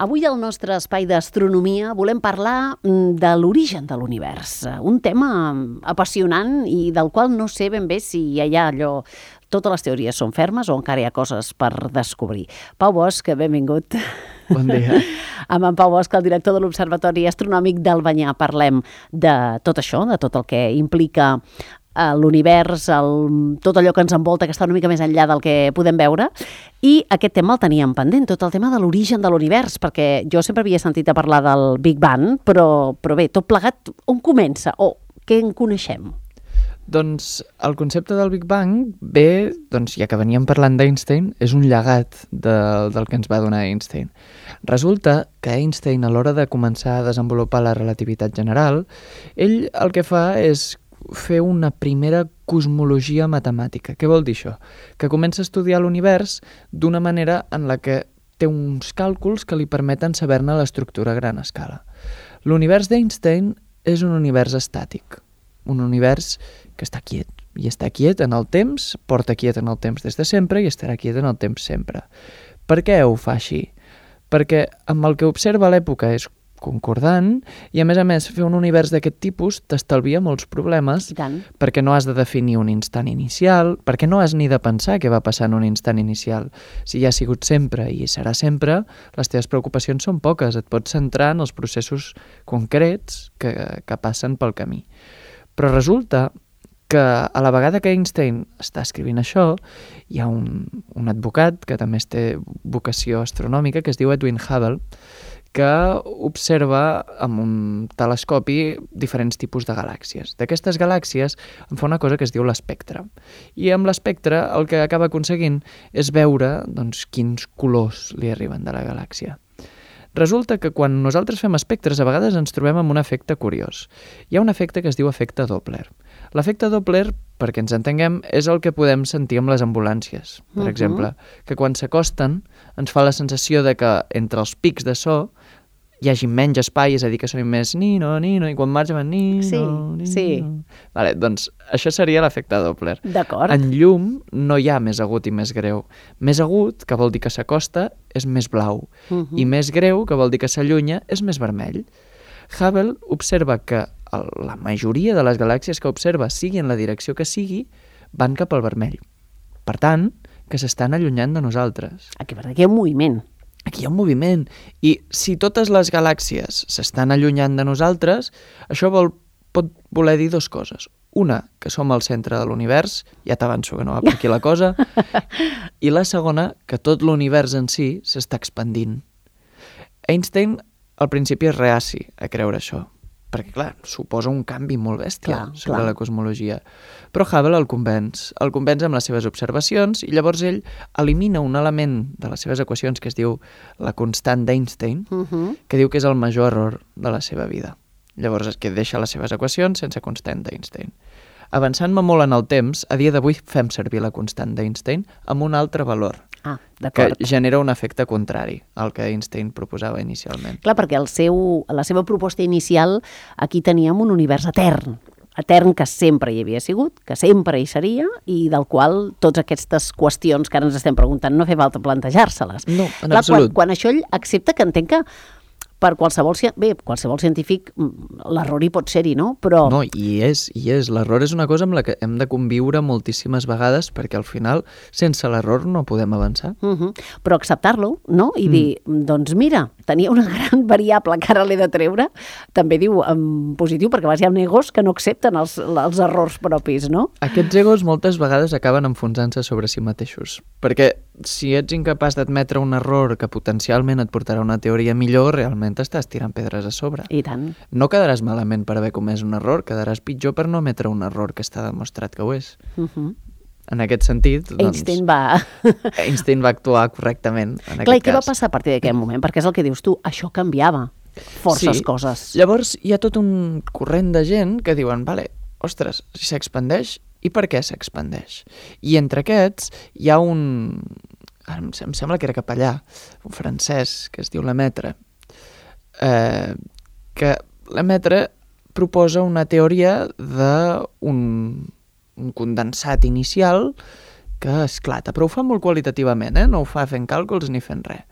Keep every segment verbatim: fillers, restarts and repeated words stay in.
Avui al nostre espai d'astronomia volem parlar de l'origen de l'univers, un tema apassionant i del qual no sé ben bé si hi ha allò... Totes les teories són fermes o encara hi ha coses per descobrir. Pau Bosch, benvingut. Bon dia. Amb en Pau Bosch, el director de l'Observatori Astronòmic d'Albanyà, parlem de tot això, de tot el que implica l'univers, el, tot allò que ens envolta, que està una mica més enllà del que podem veure, i aquest tema el teníem pendent, tot el tema de l'origen de l'univers, perquè jo sempre havia sentit a parlar del Big Bang, però, però bé, tot plegat, on comença o què en coneixem? Doncs el concepte del Big Bang ve, doncs ja que veníem parlant d'Einstein, és un llegat de, del que ens va donar Einstein. Resulta que Einstein, a l'hora de començar a desenvolupar la relativitat general, ell el que fa és fer una primera cosmologia matemàtica. Què vol dir això? Que comença a estudiar l'univers d'una manera en la que té uns càlculs que li permeten saber-ne l'estructura a gran escala. L'univers d'Einstein és un univers estàtic, un univers que està quiet, i està quiet en el temps, porta quiet en el temps des de sempre i estarà quiet en el temps sempre. Per què ho fa així? Perquè amb el que observa a l'època és concordant i, a més a més, fer un univers d'aquest tipus t'estalvia molts problemes perquè no has de definir un instant inicial, perquè no has ni de pensar què va passar en un instant inicial. Si ja ha sigut sempre i serà sempre, les teves preocupacions són poques, et pots centrar en els processos concrets que, que passen pel camí. Però resulta que a la vegada que Einstein està escrivint això, hi ha un, un advocat que també té vocació astronòmica, que es diu Edwin Hubble, que observa amb un telescopi diferents tipus de galàxies. D'aquestes galàxies en fa una cosa que es diu l'espectre. I amb l'espectre el que acaba aconseguint és veure doncs, quins colors li arriben de la galàxia. Resulta que quan nosaltres fem espectres a vegades ens trobem amb un efecte curiós. Hi ha un efecte que es diu efecte Doppler. L'efecte Doppler, perquè ens entenguem, és el que podem sentir amb les ambulàncies, per uh-huh. exemple, que quan s'acosten ens fa la sensació de que entre els pics de so hi hagi menys espai, és a dir, que sonin més nino, nino, i quan marxa van nino, sí, nino. Sí. Vale, doncs això seria l'efecte Doppler. D'acord. En llum no hi ha més agut i més greu. Més agut, que vol dir que s'acosta, és més blau. Uh-huh. I més greu, que vol dir que s'allunya, és més vermell. Hubble observa que la majoria de les galàxies que observa, sigui en la direcció que sigui, van cap al vermell. Per tant, que s'estan allunyant de nosaltres. Aquí, aquí hi ha un moviment. Aquí hi ha un moviment. I si totes les galàxies s'estan allunyant de nosaltres, això vol, pot voler dir dues coses. Una, que som al centre de l'univers, ja t'avanço que no va per aquí la cosa, i la segona, que tot l'univers en si s'està expandint. Einstein al principi és reaci a creure això, perquè, clar, suposa un canvi molt bèstia clar, sobre clar. la cosmologia. Però Hubble el convenç, el convenç amb les seves observacions i llavors ell elimina un element de les seves equacions que es diu la constant d'Einstein, uh-huh. que diu que és el major error de la seva vida. Llavors és que deixa les seves equacions sense constant d'Einstein. Avançant-me molt en el temps, a dia d'avui fem servir la constant d'Einstein amb un altre valor, ah, que genera un efecte contrari al que Einstein proposava inicialment. Clar, perquè el seu, la seva proposta inicial, aquí teníem un univers etern, etern que sempre hi havia sigut, que sempre hi seria, i del qual totes aquestes qüestions que ara ens estem preguntant no fa falta plantejar-se-les. No, en Clar, absolut. Quan, quan això ell accepta que entenc que per qualsevol, bé, qualsevol científic l'error hi pot ser-hi, no? Però... No, i és, i és. L'error és una cosa amb la que hem de conviure moltíssimes vegades perquè al final, sense l'error, no podem avançar. Uh-huh. Però acceptar-lo, no? I mm. dir, doncs mira, tenia una gran variable que ara l'he de treure, també diu en positiu, perquè a vegades hi ha egos que no accepten els, els errors propis, no? Aquests egos moltes vegades acaben enfonsant-se sobre si mateixos, perquè si ets incapaç d'admetre un error que potencialment et portarà a una teoria millor, realment t'estàs tirant pedres a sobre. I tant. No quedaràs malament per haver comès un error, quedaràs pitjor per no emetre un error que està demostrat que ho és. Uh-huh. En aquest sentit, doncs... Einstein va... Einstein va actuar correctament en Clar, aquest i què cas. va passar a partir d'aquest moment? Perquè és el que dius tu, això canviava forces sí. coses. Llavors hi ha tot un corrent de gent que diuen, vale, ostres, si s'expandeix, i per què s'expandeix? I entre aquests hi ha un... Em sembla que era capellà, un francès, que es diu Lemaitre, eh, que Lemaitre proposa una teoria d'un un condensat inicial que esclata, però ho fa molt qualitativament, eh? No ho fa fent càlculs ni fent res.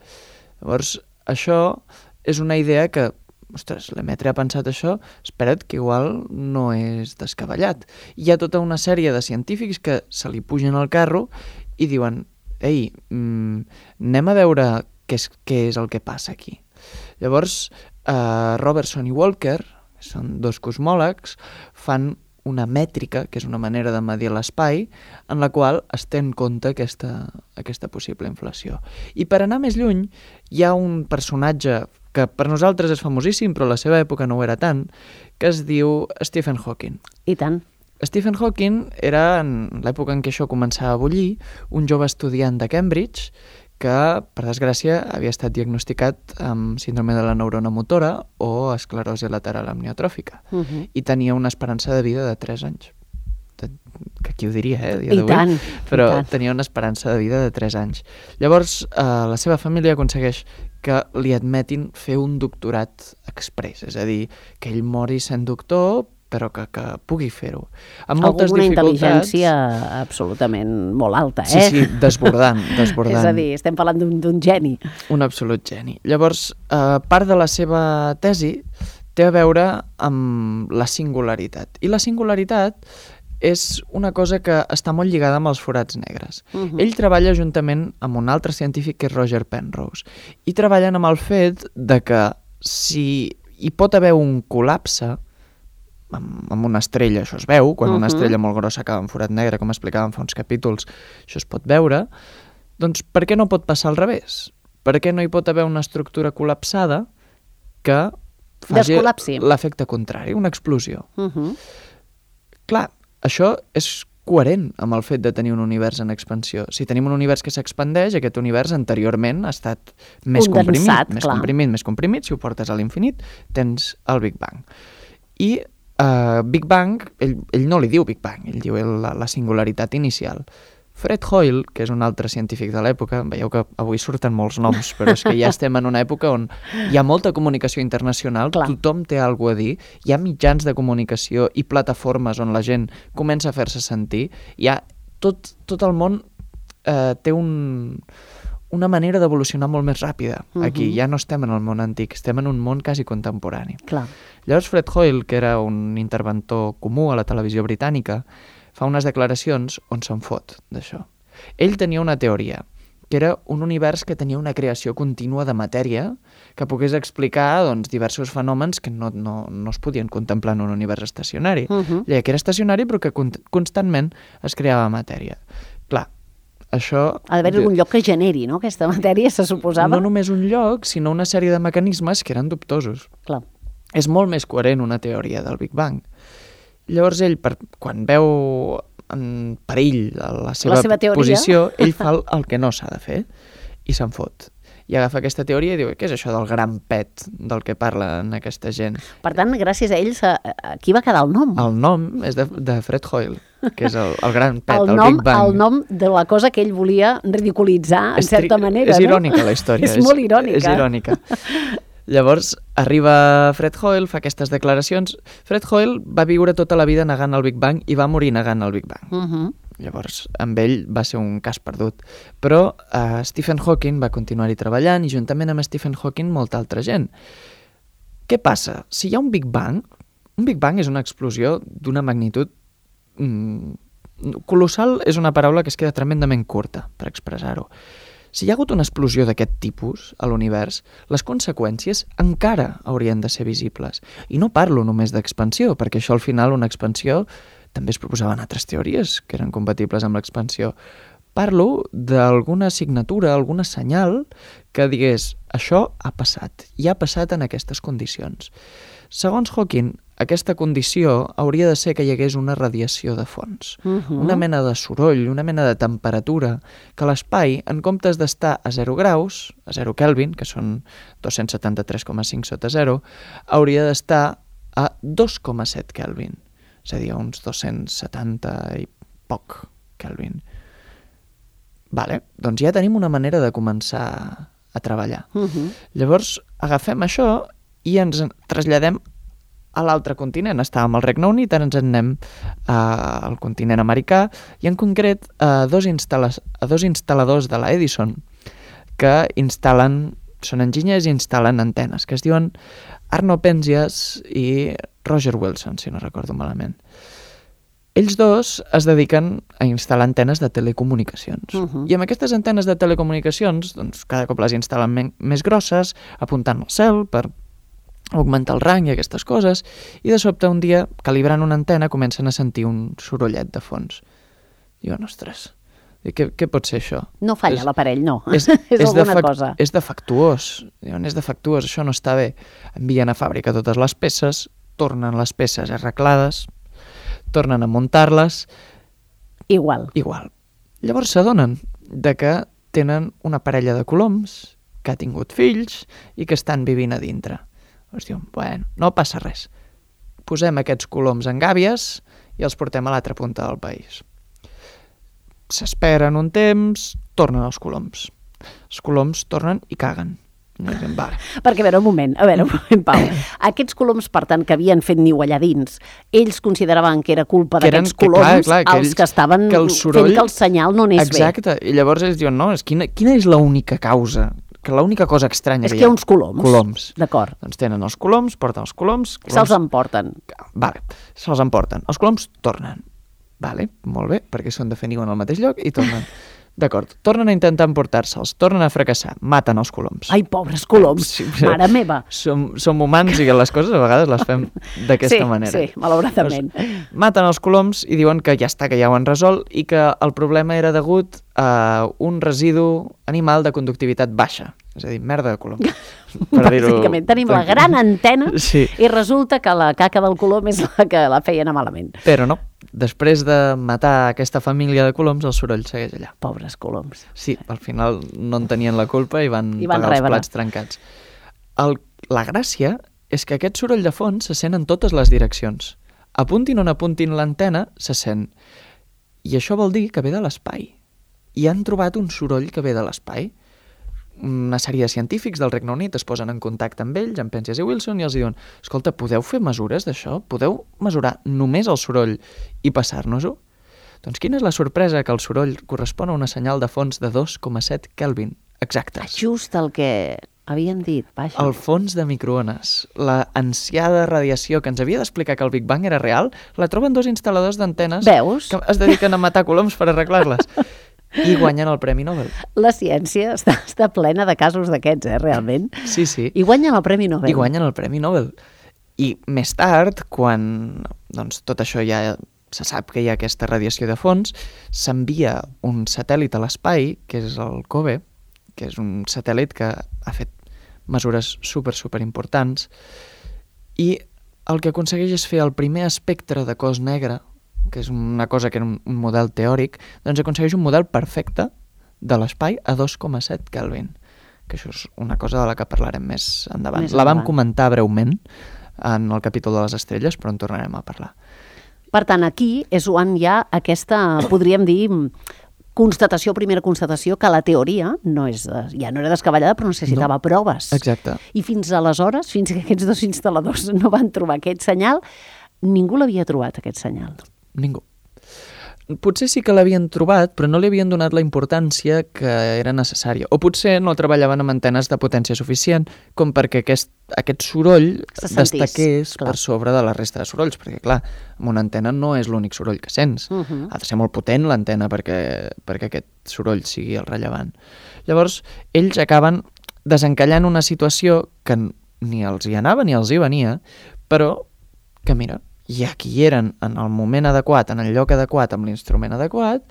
Llavors, això és una idea que, ostres, Lemaitre ha pensat això, espera't que igual no és descabellat. Hi ha tota una sèrie de científics que se li pugen al carro i diuen, ei, mm, anem a veure què és, què és el que passa aquí. Llavors, eh, Robertson i Walker, que són dos cosmòlegs, fan una mètrica, que és una manera de medir l'espai, en la qual es té en compte aquesta, aquesta possible inflació. I per anar més lluny, hi ha un personatge que per nosaltres és famosíssim, però a la seva època no ho era tant, que es diu Stephen Hawking. I tant. Stephen Hawking era, en l'època en què això començava a bullir, un jove estudiant de Cambridge que, per desgràcia, havia estat diagnosticat amb síndrome de la neurona motora o esclerosi lateral amniotròfica. Uh -huh. I tenia una esperança de vida de tres anys. Que qui ho diria, eh, a dia d'avui? I tant, Però i tant. tenia una esperança de vida de tres anys. Llavors, eh, la seva família aconsegueix que li admetin fer un doctorat express, és a dir, que ell mori sent doctor, però que, que pugui fer-ho. Amb moltes Alguna dificultats... intel·ligència absolutament molt alta, eh? Sí, sí, desbordant, desbordant. És a dir, estem parlant d'un geni. Un absolut geni. Llavors, eh, part de la seva tesi té a veure amb la singularitat. I la singularitat és una cosa que està molt lligada amb els forats negres. Uh-huh. Ell treballa juntament amb un altre científic que és Roger Penrose i treballen amb el fet de que si hi pot haver un col·lapse amb, amb una estrella, això es veu, quan uh-huh. una estrella molt grossa acaba en forat negre, com explicàvem fa uns capítols, això es pot veure, doncs per què no pot passar al revés? Per què no hi pot haver una estructura col·lapsada que faci l'efecte contrari, una explosió? Uh-huh. Clar, això és coherent amb el fet de tenir un univers en expansió. Si tenim un univers que s'expandeix, aquest univers anteriorment ha estat més condensat, comprimit, més clar. comprimit, més comprimit, si ho portes a l'infinit, tens el Big Bang. I uh, Big Bang, ell, ell no li diu Big Bang, ell diu la, la singularitat inicial. Fred Hoyle, que és un altre científic de l'època, veieu que avui surten molts noms, però és que ja estem en una època on hi ha molta comunicació internacional, clar. Tothom té alguna a dir, hi ha mitjans de comunicació i plataformes on la gent comença a fer-se sentir, hi ha tot, tot el món eh, té un, una manera d'evolucionar molt més ràpida. Uh-huh. Aquí ja no estem en el món antic, estem en un món quasi contemporani. Clar. Llavors Fred Hoyle, que era un interventor comú a la televisió britànica, fa unes declaracions on se'n fot d'això. Ell tenia una teoria, que era un univers que tenia una creació contínua de matèria que pogués explicar doncs, diversos fenòmens que no, no, no es podien contemplar en un univers estacionari. Uh-huh. Lleia que era estacionari però que constantment es creava matèria. Clar, això... Ha d'haver algun lloc que generi, no?, aquesta matèria, se suposava. No només un lloc, sinó una sèrie de mecanismes que eren dubtosos. Clar. És molt més coherent una teoria del Big Bang. Llavors ell, per, quan veu en perill la seva, la seva posició, ell fa el, el que no s'ha de fer i se'n fot. I agafa aquesta teoria i diu, què és això del gran pet del que parlen aquesta gent? Per tant, gràcies a ells, aquí va quedar el nom. El nom és de, de Fred Hoyle, que és el, el gran pet, el, el nom, Big Bang. El nom de la cosa que ell volia ridiculitzar, en és certa manera. És no? irònica la història. és, és molt irònica. És irònica. Llavors, arriba Fred Hoyle, fa aquestes declaracions. Fred Hoyle va viure tota la vida negant el Big Bang i va morir negant el Big Bang. Uh-huh. Llavors, amb ell va ser un cas perdut. Però uh, Stephen Hawking va continuar-hi treballant i juntament amb Stephen Hawking molta altra gent. Què passa? Si hi ha un Big Bang, un Big Bang és una explosió d'una magnitud mm, colossal, és una paraula que es queda tremendament curta per expressar-ho. Si hi ha hagut una explosió d'aquest tipus a l'univers, les conseqüències encara haurien de ser visibles. I no parlo només d'expansió, perquè això al final una expansió també es proposaven altres teories que eren compatibles amb l'expansió. Parlo d'alguna signatura, alguna senyal que digués això ha passat, i ha passat en aquestes condicions. Segons Hawking, aquesta condició hauria de ser que hi hagués una radiació de fons, uh-huh. una mena de soroll, una mena de temperatura, que l'espai, en comptes d'estar a zero graus, a zero Kelvin, que són dos-cents setanta-tres coma cinc sota zero, hauria d'estar a dos coma set Kelvin, és a dir, a uns dos-cents setanta i poc Kelvin. Vale, doncs ja tenim una manera de començar a treballar. Uh-huh. Llavors, agafem això i ens traslladem a l'altre continent. Estàvem al Regne Unit, ara ens en anem uh, al continent americà i en concret a dos, instal·la- a dos instal·ladors de la Edison que instal·len són enginyers i instal·len antenes, que es diuen Arno Penzias i Roger Wilson, si no recordo malament. Ells dos es dediquen a instal·lar antenes de telecomunicacions. Uh-huh. I amb aquestes antenes de telecomunicacions, doncs, cada cop les instal·len men- més grosses, apuntant al cel per augmentar el rang i aquestes coses, i de sobte un dia, calibrant una antena, comencen a sentir un sorollet de fons. Diuen, ostres, què, què pot ser això? No falla és, l'aparell, no. És, és, és alguna defac- cosa. És defectuós. Diuen, és defectuós, això no està bé. Envien a fàbrica totes les peces, tornen les peces arreglades, tornen a muntar-les... Igual. Igual. Llavors s'adonen de que tenen una parella de coloms que ha tingut fills i que estan vivint a dintre. Llavors diuen, bueno, no passa res. Posem aquests coloms en gàbies i els portem a l'altra punta del país. S'esperen un temps, tornen els coloms. Els coloms tornen i caguen. No diem, va. Perquè, a veure, un moment, a veure, un moment, Pau. Aquests coloms, per tant, que havien fet niu allà dins, ells consideraven que era culpa Que eren- d'aquests que, clar, coloms clar, que els ells- que estaven que el soroll- fent que el senyal no anés bé. Exacte, i llavors ells diuen, no, és quina, quina és l'única causa, que l'única cosa estranya És que que hi ha uns coloms. Coloms. D'acord. Doncs tenen els coloms, porten els coloms... coloms Se'ls emporten. Vale, se'ls emporten. Els coloms tornen. Vale, molt bé, perquè són de fer niu en el mateix lloc i tornen. D'acord, tornen a intentar emportar-se'ls, tornen a fracassar, maten els coloms. Ai, pobres coloms, Sí, mare meva. Som, som humans i les coses a vegades les fem d'aquesta sí, manera. Sí, malauradament. Doncs, maten els coloms i diuen que ja està, que ja ho han resolt i que el problema era degut a un residu animal de conductivitat baixa. És a dir, merda de colom. Bàsicament, tenim la gran antena Sí. i resulta que la caca del colom és la que la feia anar malament. Però no, després de matar aquesta família de coloms, el soroll segueix allà. Pobres coloms. Sí, al final no en tenien la culpa i van, I van pagar rebre. els plats trencats. El, la gràcia és que aquest soroll de fons se sent en totes les direccions. Apuntin on apuntin l'antena, se sent. I això vol dir que ve de l'espai. I han trobat un soroll que ve de l'espai. Una sèrie de científics del Regne Unit es posen en contacte amb ells, amb Penzias i Wilson, i els diuen, escolta, podeu fer mesures d'això? Podeu mesurar només el soroll i passar-nos-ho? Doncs quina és la sorpresa? Que el soroll correspon a una senyal de fons de dos coma set Kelvin, exactes. Just el que havien dit, vaja. El fons de microones, la ansiada radiació que ens havia d'explicar que el Big Bang era real, la troben dos instal·ladors d'antenes Veus? que es dediquen a matar coloms per arreglar-les. I guanyen el Premi Nobel. La ciència està, està plena de casos d'aquests, eh, realment. Sí, sí. I guanyen el Premi Nobel. I guanyen el Premi Nobel. I més tard, quan doncs, tot això ja se sap que hi ha aquesta radiació de fons, s'envia un satèl·lit a l'espai, que és el COBE, que és un satèl·lit que ha fet mesures super, super importants, i el que aconsegueix és fer el primer espectre de cos negre, que és una cosa que era un, un model teòric, doncs aconsegueix un model perfecte de l'espai a dos coma set Kelvin, que això és una cosa de la que parlarem més endavant. Més la vam endavant. comentar breument en el capítol de les estrelles, però en tornarem a parlar. Per tant, aquí és on hi ha aquesta, podríem dir, constatació, primera constatació, que la teoria no és, ja no era descabellada, però necessitava no. proves. Exacte. I fins aleshores, fins que aquests dos instal·ladors no van trobar aquest senyal, ningú l'havia trobat, aquest senyal. Ningú. Potser sí que l'havien trobat, però no li havien donat la importància que era necessària. O potser no treballaven amb antenes de potència suficient com perquè aquest, aquest soroll Se sentís, destaqués clar. per sobre de la resta de sorolls, perquè clar, amb una antena no és l'únic soroll que sents. Uh -huh. Ha de ser molt potent l'antena perquè, perquè aquest soroll sigui el rellevant. Llavors, ells acaben desencallant una situació que ni els hi anava ni els hi venia, però que mira, ja que hi eren en el moment adequat, en el lloc adequat, amb l'instrument adequat,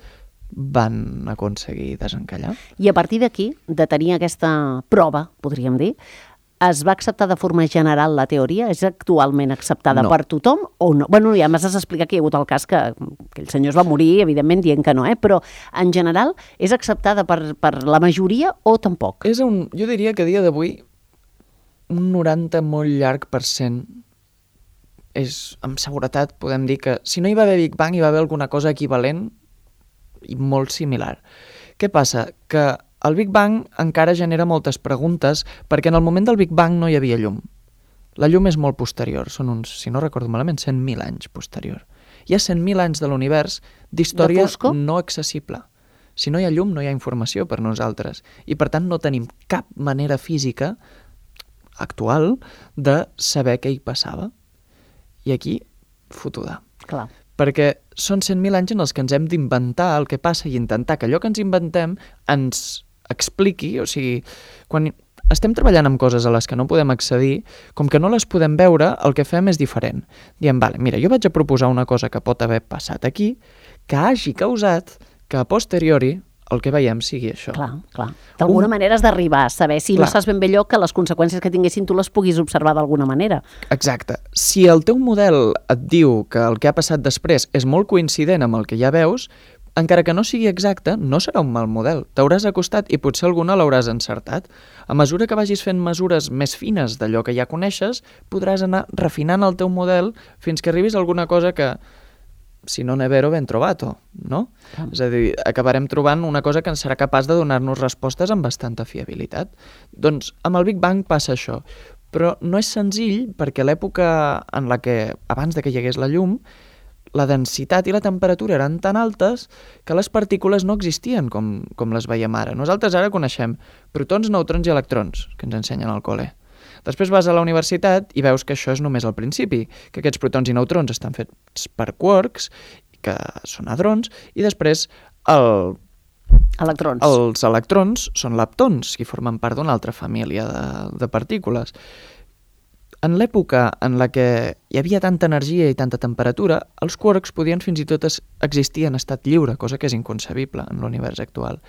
van aconseguir desencallar. I a partir d'aquí, de tenir aquesta prova, podríem dir, es va acceptar de forma general la teoria? És actualment acceptada No. per tothom o no? Bueno, ja m'has d'explicar que hi ha hagut el cas que, que el senyor es va morir, evidentment, dient que no, eh? Però en general és acceptada per, per la majoria o tampoc? És un, jo diria que a dia d'avui un noranta molt llarg per cent és, amb seguretat, podem dir que si no hi va haver Big Bang hi va haver alguna cosa equivalent i molt similar. Què passa? Que el Big Bang encara genera moltes preguntes perquè en el moment del Big Bang no hi havia llum. La llum és molt posterior, són uns, si no recordo malament, cent mil anys posterior. Hi ha cent mil anys de l'univers d'història De foscor? no accessible. Si no hi ha llum, no hi ha informació per nosaltres. I, per tant, no tenim cap manera física actual de saber què hi passava. I aquí, fotuda. Clar. Perquè són cent mil anys en els que ens hem d'inventar el que passa i intentar que allò que ens inventem ens expliqui, o sigui, quan estem treballant amb coses a les que no podem accedir, com que no les podem veure, el que fem és diferent. Diem, vale, mira, jo vaig a proposar una cosa que pot haver passat aquí, que hagi causat que a posteriori el que veiem sigui això. Clar, clar. D'alguna Un... manera has d'arribar a saber, si clar. No saps ben bé allò, que les conseqüències que tinguessin tu les puguis observar d'alguna manera. Exacte. Si el teu model et diu que el que ha passat després és molt coincident amb el que ja veus, encara que no sigui exacte, no serà un mal model. T'hauràs acostat i potser alguna l'hauràs encertat. A mesura que vagis fent mesures més fines d'allò que ja coneixes, podràs anar refinant el teu model fins que arribis a alguna cosa que, si no ne vero, ben trovato, no? Ah. És a dir, acabarem trobant una cosa que ens serà capaç de donar-nos respostes amb bastanta fiabilitat. Doncs amb el Big Bang passa això, però no és senzill perquè l'època en la que, abans de que hi hagués la llum, la densitat i la temperatura eren tan altes que les partícules no existien com, com les veiem ara. Nosaltres ara coneixem protons, neutrons i electrons, que ens ensenyen al col·le. Després vas a la universitat i veus que això és només el principi, que aquests protons i neutrons estan fets per quarks, que són hadrons, i després el... Electrons. els electrons són leptons, que formen part d'una altra família de, de partícules. En l'època en la que hi havia tanta energia i tanta temperatura, els quarks podien fins i tot existir en estat lliure, cosa que és inconcebible en l'univers actual.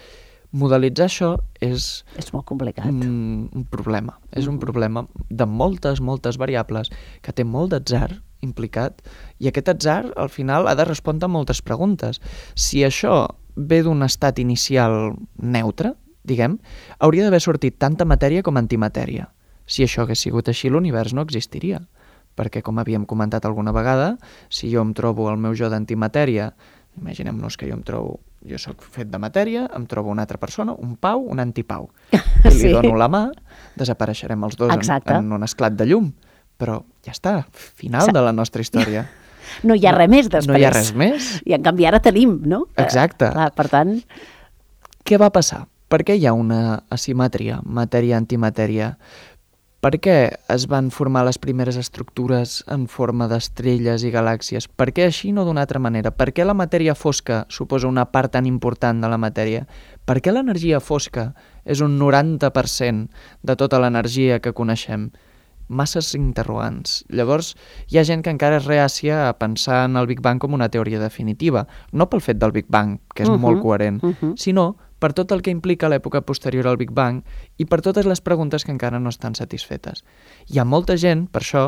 Modelitzar això és... És molt complicat. Un, un problema. Mm. És un problema de moltes, moltes variables, que té molt d'atzar implicat, i aquest atzar, al final, ha de respondre a moltes preguntes. Si això ve d'un estat inicial neutre, diguem, hauria d'haver sortit tanta matèria com antimatèria. Si això hagués sigut així, l'univers no existiria. Perquè, com havíem comentat alguna vegada, si jo em trobo el meu jo d'antimatèria, imaginem-nos que jo em trobo, jo sóc fet de matèria, em trobo una altra persona, un Pau, un antipau. I li sí. dono la mà, desapareixerem els dos en, en un esclat de llum. Però ja està, final de la nostra història. No hi ha res més després. No hi ha res més. I en canvi ara tenim, no? Exacte. Eh, clar, per tant... Què va passar? Per què hi ha una asimetria, matèria-antimatèria? Per què es van formar les primeres estructures en forma d'estrelles i galàxies? Per què així no d'una altra manera? Per què la matèria fosca suposa una part tan important de la matèria? Per què l'energia fosca és un noranta per cent de tota l'energia que coneixem? Masses interrogants. Llavors, hi ha gent que encara és reàcia a pensar en el Big Bang com una teoria definitiva, no pel fet del Big Bang, que és uh-huh, molt coherent, uh-huh. sinó per tot el que implica l'època posterior al Big Bang i per totes les preguntes que encara no estan satisfetes. Hi ha molta gent, per això,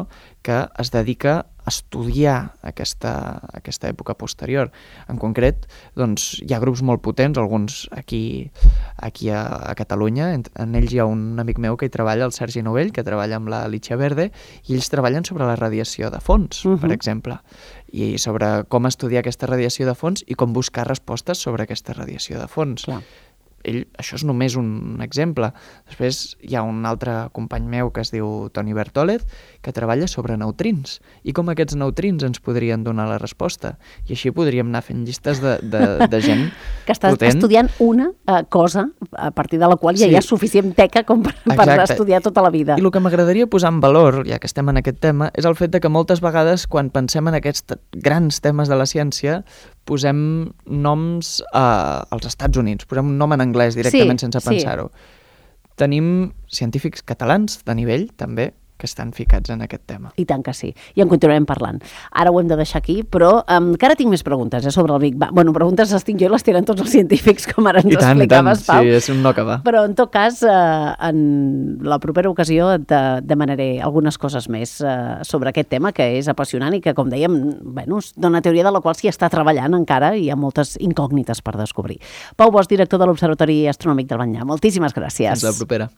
que es dedica a estudiar aquesta, aquesta època posterior. En concret, doncs, hi ha grups molt potents, alguns aquí, aquí a, a Catalunya, en, en ells hi ha un amic meu que hi treballa, el Sergi Novell, que treballa amb la Lícia Verde, i ells treballen sobre la radiació de fons, uh-huh. per exemple, i sobre com estudiar aquesta radiació de fons i com buscar respostes sobre aquesta radiació de fons. Clar. Ell, això és només un exemple. Després hi ha un altre company meu que es diu Toni Bertòlez, que treballa sobre neutrins i com aquests neutrins ens podrien donar la resposta. I així podríem anar fent llistes de, de, de gent que estàs potent. Estudiant una uh, cosa a partir de la qual ja sí. hi ha suficient teca com per, per estudiar tota la vida. I el que m'agradaria posar en valor, ja que estem en aquest tema, és el fet de que moltes vegades quan pensem en aquests grans temes de la ciència posem noms uh, als Estats Units, posem un nom en anglès directament sí, sense pensar-ho. Sí. Tenim científics catalans de nivell, també, que estan ficats en aquest tema. I tant que sí. I en continuarem parlant. Ara ho hem de deixar aquí, però um, encara tinc més preguntes eh, sobre el Big Bang. Bueno, preguntes les tinc jo i les tenen tots els científics, com ara ens I tant, explicaves, i tant. Pau. Sí, és un no acabar. Però, en tot cas, uh, en la propera ocasió et de, demanaré algunes coses més uh, sobre aquest tema, que és apassionant i que, com dèiem, bueno, dona teoria de la qual s'hi està treballant encara i hi ha moltes incògnites per descobrir. Pau Bosch, director de l'Observatori Astronòmic del Banyà. Moltíssimes gràcies. Fins la propera.